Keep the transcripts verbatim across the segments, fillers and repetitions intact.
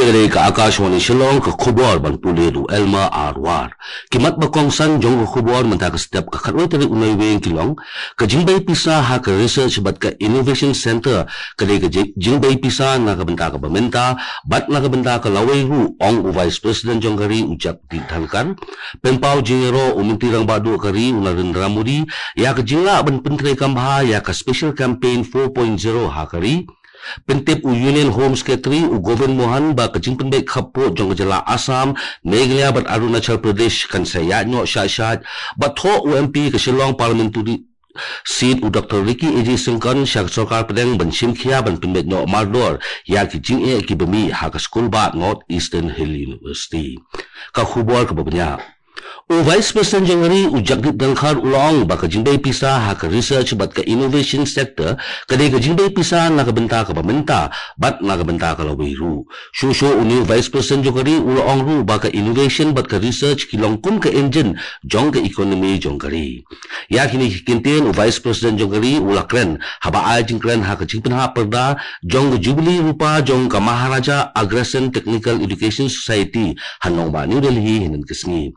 Ka dei ka Akashvani Shillong, ka khubor ban pule da u Elma Arwar. Ki mat ba kongsan jong ka khubor mynta ka step ka khatwei tarik u Naiwieng ki long: ka jingbei pisa ha ka Research bad ka Innovation Center ka dei ka ji-, jingbei pisa na ka bynta kaba mynta bad na ka bynta ka lawei ruh, ong u Vice President jong ka ri u Jagdeep Dhankhar. Pynpaw jingïaroh u Myntri Rangbah Duh ka ri u Narendra Modi ïa ka jinglah ban pyntreikam bha ïa ka Special Campaign four point zero ha ka ri. Pyntip u Union Home Secretary u Govind Mohan ba ka jingpynbeit khappud jong ka jylla Assam, Meghalaya bad Arunachal Pradesh kan sa ïaid noh shait shait, bad thoh u M P ka Shillong Parliamentary Seat u Doctor Ricky A J Syngkon sha ka sorkar pdeng ban shim khia ban pynbeit noh mardor ïa ki jingeh kiba mih ha ka skul bah North Eastern Hill University. Ka khubor kaba bniah. U Vice President jong ka ri u Jagdeep Dhankhar u la ong ba ka jingbei pisa ha ka Research bad ka Innovation Sector ka dei ka jingbei pisa na ka bynta kaba mynta bad na ka bynta ka lawei ruh. Shuh shuh une u Vice President jong ka ri u la ong ruh ba ka innovation bad ka research ki long kum ka engine jong ka economy jong ka ri. Ïa kine ki kyntien u Vice President jong ka ri u la kren haba ai jingkren ha ka jingpynhap pyrda jong ka Jubilee Rupa jong ka Maharaja Agrasen Technical Education Society ha nongbah New Delhi hynnin ka sngi.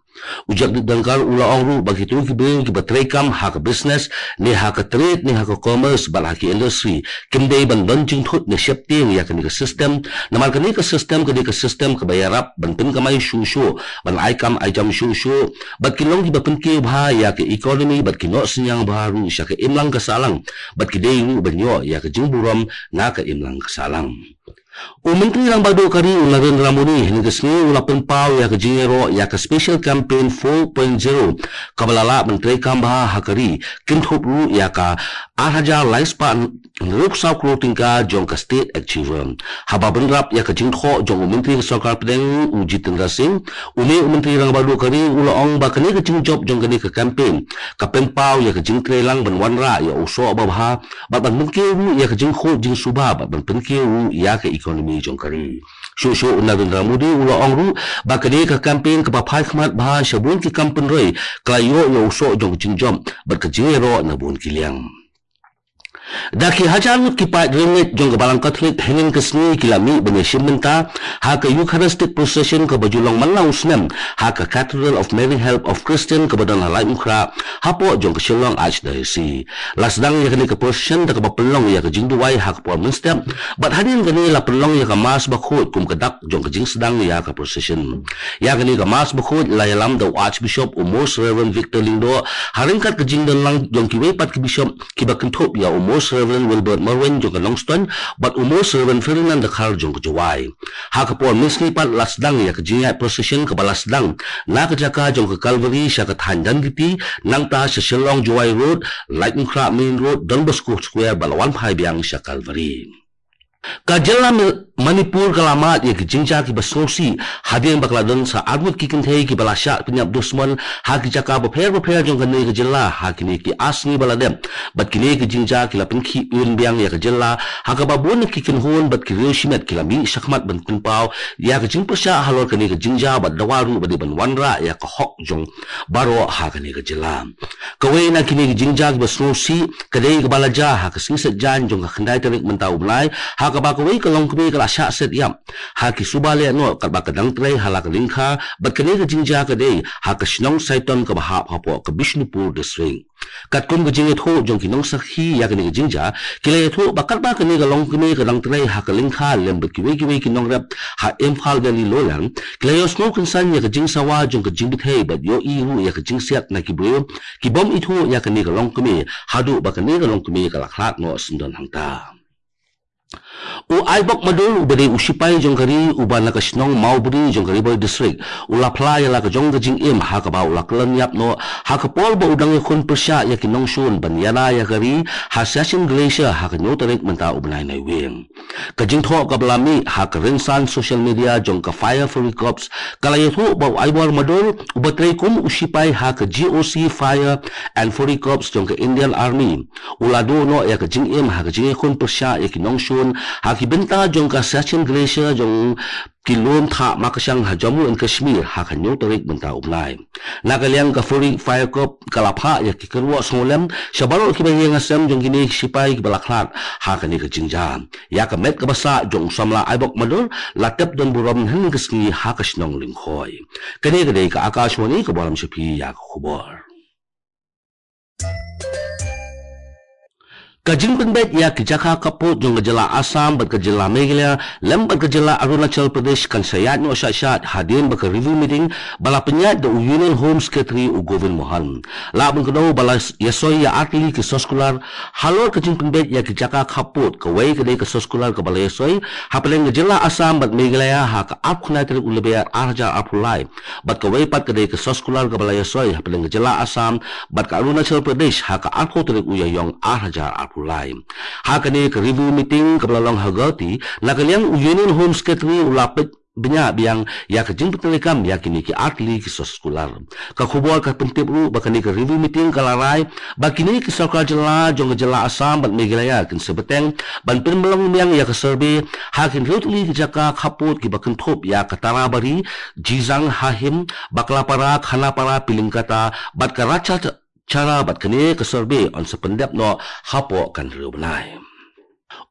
U Jagdeep Dhankhar u la ong ruh ba kito ki briew kiba treikam ha ka business, ne ha ka trade, ne ha ka commerce bad ha ki industry kim dei ban don jingthut ne sheptieng ïa kane ka system, namar kane ka system ka dei ka system kaba ïarap ban pynkamai shuh shuh, ban ai kam ai jam shuh shuh, bad ki long kiba pynkiew bha ïa ka economy bad ki noh synñiang bha ruh sha ka imlang ka sahlang, bad ki dei ruh ban ïoh ïa ka jingburom na ka imlang ka sahlang. U Myntri Rangbah Duh ka ri u Narendra Modi hynnin ka sngi u la pynpaw ïa ka jingïaroh ïa ka Special Campaign four point zero kaba la lah ban treikam bha ha ka ri, kynthup ruh ïa ka ar hajar lai spah hynriewphew saw klur tyngka jong ka State Achiever. Haba bynrap ïa ka jingthoh jong u Myntri ka Sorkar Pdeng u Jitendra Singh, une u Myntri Rangbah Duh ka ri u la ong ba kane ka jingjop jong kane ka campaign ka pynpaw ïa ka jingtreilang ban wanrah ïa u soh babha bad ban pynkiew ruh ïa ka jingkhuid jingsuba bad ban pynkiew ruh ïa ka economy jong ka ri. Shuh shuh u Narendra Modi u la ong ruh ba kane ka campaign kaba phai khmat bha sha bun ki kam pynroi ka la ïoh ïa u soh jong ka jingjop bad ka jingïaroh na bun ki liang. Da ki hajar ngut ki paid riewngeit jong ka Balang Katholik hynnin ka sngi ki la mih ban ïashim bynta ha ka Eucharistic Procession kaba ju long man la u snem ha ka Cathedral of Mary Help of Christian kaba don ha Laitumkhrah hapoh jong ka Shillong Archdiocese. La sdang ïa kane ka procession da kaba pynlong ïa ka jingduwai ha ka por mynstep, bad hadien kane la pynlong ïa ka Mass bakhuid kum ka dak jong ka jingsdang ïa ka procession. Ïa kane ka Mass bakhuid la ïalam da u Archbishop u Most Reverend Victor Lyngdoh, ha ryngkat ka jingdon lang jong kiwei pat ki bishop kiba kynthup ïa u Most Reverend Wilbert Marwein jong ka Nongstoiñ bad u Most Reverend Ferdinand Dkhar jong ka Jowai. Ha ka por mynsngi pat la sdang ïa ka jingïaid procession kaba la sdang na ka jaka jong ka Calvary sha ka thaiñ Dangiti, nangta sha Shillong Jowai Road, Laitumkhrah Main Road, Don Bosco Square bad la wan phai biang sha Calvary. Ka jylla Ma-, Manipur ka la mad ïa ki jingjia kiba sngewsih hadien ba ka la don sa arngut ki kynthei kiba la shah pynïap dusmon ha ki jaka bapher bapher jong kane ka jylla ha kine ki ar sngi ba la dep. Bad kine ki jingjia ki la pynkhih un biang ïa ka jylla ha kaba bun ki kynhun bad ki riew shimet ki la mih shakhmat ban pynpaw ïa ka jingpyrshah halor kane ka jingjia bad dawa ruh ba dei ban wanrah ïa ka hok jong baroh ha kane ka jylla. Kawei na kine ki jingjia kiba sngewsih ka dei kaba la jia ha ka sngi Saitjaiñ jong ka khyndai tarik mynta u bnai, ha kaba kawei ka longkmie ka la shah set ïap ha ki suba lehnoh katba ka dang trei ha la ka lyngkha, bad kane ka jingjia ka dei ha ka shnong Saiton kaba hap hapoh ka Bishnupur District. Katkum ka jingïathuh jong ki nongsakhi ïa kane ka jingjia, ki la ïathuh ba katba kane ka longkmie ka dang trei ha ka lyngkha lem bad kiwei kiwei ki nongrep ha Imphal Valley Lowland, ki la ïohsngew kynsan ïa ka jingsawa jong ka jingbthei bad ïohi ruh ïa ka jingsiat na ki briew ki bym ithuh ïa kane ka longkmie haduh ba kane ka longkmie ka la khlad noh syndon hangta. U Aibok Madur uba dei u shipai jong ka ri uba na ka shnong Mawbri jong ka Ri Bhoi District u la phla ïa la ka jong ka jingim ha kaba u la kyllon ïap noh ha ka por ba u dang ïakhun pyrshah ïa ki nongshun ban ïada ïa ka ri ha Siachen Glacier ha ka hynñiew tarik mynta u bnai Naiwieng. Ka jingthoh kaba la mih ha ka rynsan social media jong ka Fire Fury Corps ka la ïathuh ba u Aibok Madur uba trei kum u shipai ha ka G O C Fire and Fury Corps jong ka Indian Army u la duh noh ïa ka jingim ha ka jingïakhun pyrshah ïa ki nongshun ha ki bynta jong ka Siachen Glacier jong ki lum thah makashang ha Jammu and Kashmir ha ka hynñiew tarik mynta u bnai. Na ka liang ka Furi Fire Corps ka la phah ïa ki kyrwoh sngewlem sha baroh kiba ïeng ha sem jong kine ki shipai kiba la khlad ha kane ka jingjia. Ïa ka met kaba sah jong u samla Aibok Madur la tep don burom hynne ka sngi ha ka shnong Lyngkhoi. Kane ka dei ka Akashvani kaba lam sha phi ïa ka khubor. Ka jingpynbeit ïa ki jaka khappud jong ka jylla Assam bad ka jylla Meghalaya lem bad ka jylla Arunachal Pradesh kan sa ïaid noh sha shad hadien ba ka review meeting ba la pynïaid da u Union Home Secretary u Govind Mohan. La ban kdew ba la ïasoi ïa artylli ki soskular halor ka jingpynbeit ïa ki jaka khappud. Kawei ka dei ka soskular kaba la ïasoi hapdeng ka jylla Assam bad Meghalaya ha ka arphew khyndai tarik u Lber ar hajar arphew lai. Bad kawei pat ka dei ka soskular kaba la ïasoi hapdeng ka jylla Assam bad ka Arunachal Pradesh ha ka arphew tarik u Ïaïong ar hajar arphew lai. Ha kane ka review meeting kaba la long ha Guwahati, na ka liang u Union Home Secretary u la peit bniah biang ïa ka jingpyntreikam ïa kine ki artylli ki soskular. Ka khubor ka pyntip ruh ba kane ka review meeting ka la rai ba kine ki sorkar jylla jong ka jylla Assam bad Meghalaya kin sa bteng ban pynlong biang ïa ka survey ha ki hynriew tylli ki jaka khappud kiba kynthup ïa ka Tarabari, Jijang, Hahim, Baklapara, Khanapara, Pilingkata bad ka Rachachara bad kane ka survey yn sa pyndep noh hapoh ka hynriew bnai.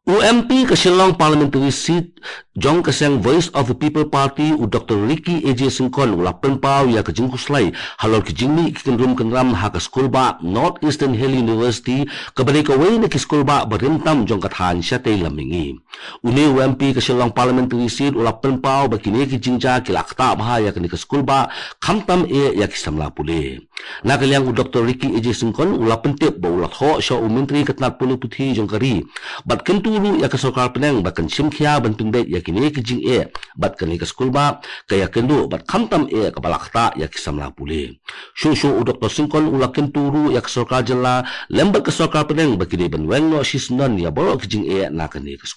U M P ka Shillong Parliamentary Seat jong ka seng Voice of the People Party u Doctor Ricky A J Syngkon u la pynpaw ïa ka jingkhuslai halor ki jingmih ki kynrum kynram ha ka skulbah North Eastern Hill University kaba dei kawei na ki skulbah ba rim tam jong ka thaiñ shatei lam mihngi. Une u M P ka Shillong Parliamentary Seat u la pynpaw ba kine ki jingjia ki la ktah bha ïa kane ka skulbah khamtam eh ïa ki samla pule. Na ka liang u Doctor Ricky A J Syngkon u la pyntip ba u la thoh sha u Myntri ka tnat pule puthi jong ka ri bad kyntu ruh ïa ka sorkar pdeng ba kan shim khia ban pynbeit ïa kine ki jingeh bad kane ka skulbah ka ïakynduh bad khamtam eh kaba la ktah ïa ki samla pule. Shuh shuh u Doctor Syngkon u la kyntu ruh ïa ka sorkar jylla lem bad ka sorkar pdeng ba ki dei ban weng noh shisyndon ïa baroh ki jingeh na kane ka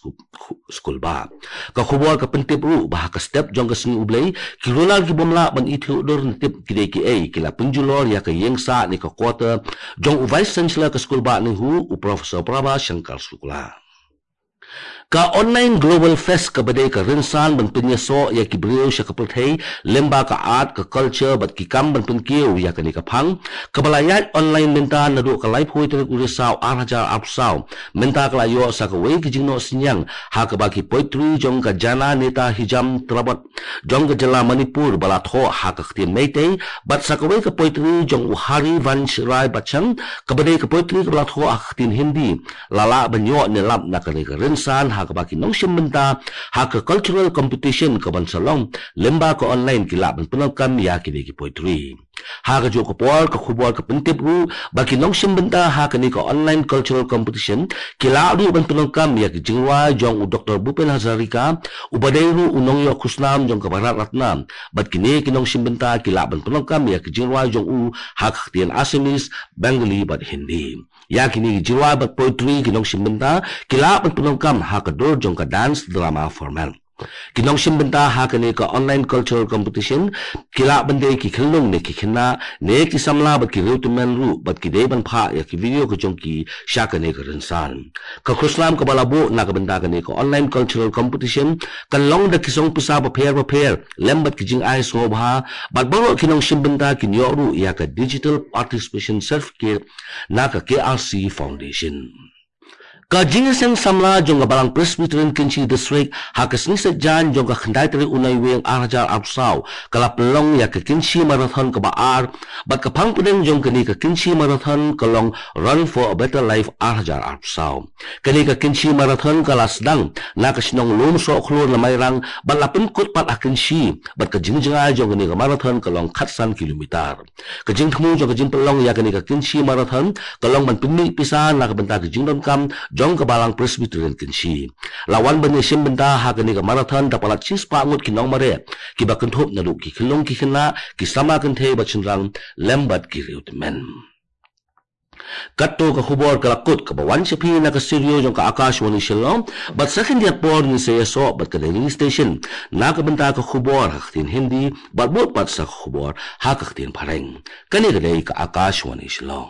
skulbah. Ka khubor ka pyntip ruh ba ha ka step jong ka sngi U Blei ki runar ki bym lah ban ithuh dur ne tip ki dei kiei ki la pynjulor ïa ka ïing sah ne ka quarter jong u Vice Chancellor ka skulbah NEHU u Professor Prabha Shankar Shukla. Ka Online Global Fest kaba dei ka rynsan ban pynïasoh ïa ki briew sha ka pyrthei lyngba ka art, ka culture bad ki kam ban pynkiew ïa kane ka phang kaba la ïaid online mynta naduh ka laiphew tarik u Risaw ar hajar arphew saw. Mynta ka la ïoh sa kawei ka jingnoh synñiang ha kaba ki poetry jong ka Jana Neta Hijam Trabot jong ka jylla Manipur ba la thoh ha ka ktien Meitei bad sa kawei ka poetry jong u Harivansh Rai Bachchan kaba dei ka poetry kaba la thoh ha ka ktien Hindi la lah ban ïoh ne lap na kane ka rynsan ha kaba ki nongshim bynta ha ka cultural competition kaban sa long lyngba ka online ki lah ban pyndonkam ïa kine ki poetry. Ha kajuh ka por ka khubor ka pyntip ruh ba ki nongshim bynta ha kane ka online cultural competition ki lah ruh ban pyndonkam ïa ki jingrwai jong u Doctor Bhupen Hazarika uba dei ruh u nongïoh khusnam jong ka Bharat Ratna bad kine ki nongshim bynta ki lah ban pyndonkam ïa ki jingrwai jong u ha ka ktien Assamese, Bengali bad Hindi. Ïa kine ki jingrwai bad poetry ki nongshim bynta ki lah ban pyndonkam ha ka dur jong ka dance drama format. Ki nongshim bynta ha kane ka online cultural competition ki lah ban dei ki khyllung ne ki khynnah ne ki samla bad ki riewtymmen ruh bad ki dei ban phah ïa ki video ka jong ki sha kane ka rynsan. Ka khusnam kaba la buh na ka bynta kane ka online cultural competition kan long da ki song pisa bapher bapher lem bad ki jingai sngewbha bad baroh ki nongshim bynta kin ïoh ruh ïa ka digital participation certificate na ka K R C Foundation. Ka jingïaseng samla jong ka Balang Presbyterian Kynshi District ha ka sngi Saitjaiñ jong ka khyndai tarik u Naiwieng ar hajar arphew saw ka la pynlong ïa ka Kynshi Marathon kaba ar bad ka phang pdeng jong kane ka Kynshi Marathon ka long Run for a Better Life ar hajar arphew saw. Kane ka Kynshi Marathon ka la sdang na ka shnong Lumsohkhlur na Mairang bad la pynkut pat ha Kynshi bad ka jingjngai jong kane ka marathon ka long khatsan kilometer. Ka jingthmu jong ka jingpynlong ïa kane ka Kynshi Marathon ka long ban pynmih pisa na ka bynta ka jingdonkam jong ka Balang Presbyterian Kynshi. La wan ban ïashim bynta ha kane ka marathon da palat shispah ngut ki nongmareh kiba kynthup naduh ki khyllung ki khynnah, ki samla kynthei bad shynrang lem bad ki riewtymmen. Katto ka khubor ka la kut kaba wan sha phi na ka studio jong ka Akashvani Shillong bad sa khyndiat por ngin sa ïasoh bad ka Delhi Station na ka bynta ka khubor ha ka ktien Hindi bad bud pat sa ka khubor ha ka ktien Phareng. Kane ka dei ka Akashvani Shillong.